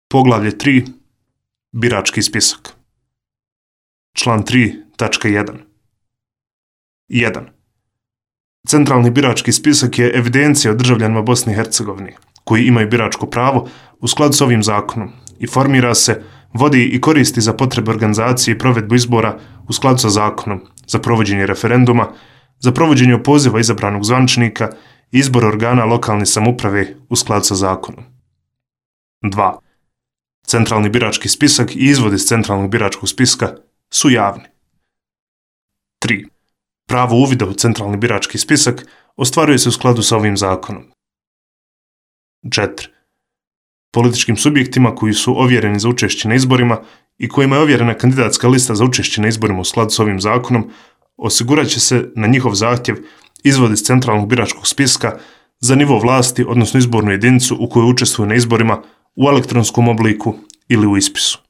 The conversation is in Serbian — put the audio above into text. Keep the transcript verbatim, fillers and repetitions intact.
Poglavlje tri. Birački spisak. Član tri tačka jedan. jedan. Centralni birački spisak je evidencija o državljanima Bosne i Hercegovine koji imaju biračko pravo u skladu s ovim zakonom i formira se, vodi i koristi za potrebe organizacije i provedbu izbora u skladu sa zakonom, za provođenje referenduma, za provođenje opoziva izabranog zvaničnika i izbor organa lokalne samouprave u skladu sa zakonom. dva. Centralni birački spisak i izvod iz centralnog biračkog spiska su javni. tri. Pravo uvida u centralni birački spisak ostvaruje se u skladu sa ovim zakonom. četiri. Političkim subjektima koji su ovjereni za učešće na izborima i kojima je ovjerena kandidatska lista za učešće na izborima u skladu s ovim zakonom, osigurat će se na njihov zahtjev izvod iz centralnog biračkog spiska za nivo vlasti, odnosno izbornu jedinicu u kojoj učestvuju na izborima u elektronskom obliku ili u ispisu.